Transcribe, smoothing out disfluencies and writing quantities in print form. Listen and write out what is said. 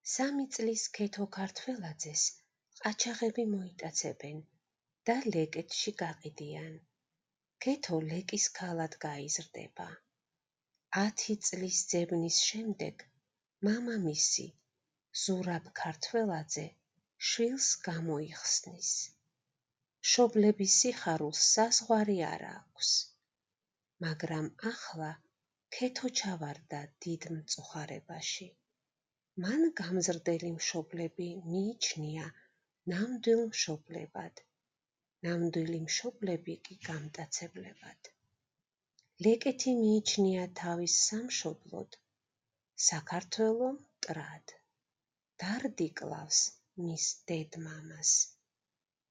3 წლის ქეთო ქართველაძეს ყაჩაღები მოიტაცებენ და ლეკეთში გაყიდიან. ქეთო ლეკის ქალად გაიზრდება. 10 წლის ძებნის შემდეგ მამამისი, ზურაბ ქართველაძე, შვილს გამოიხსნის. მშობლების სიხარულს საზღვარი არ აქვს, მაგრამ ახლა ქეთო ჩავარდა დიდ მწუხარებაში. მან გამზრდელი მშობლები მიიჩნია ნამდვილ მშობლებად, ნამდვილი მშობლები კი გამტაცებლებად. ლეკეთი მიიჩნია თავის სამშობლოდ, საქართველო მტრად. დარდი კლავს მის დედ-მამას.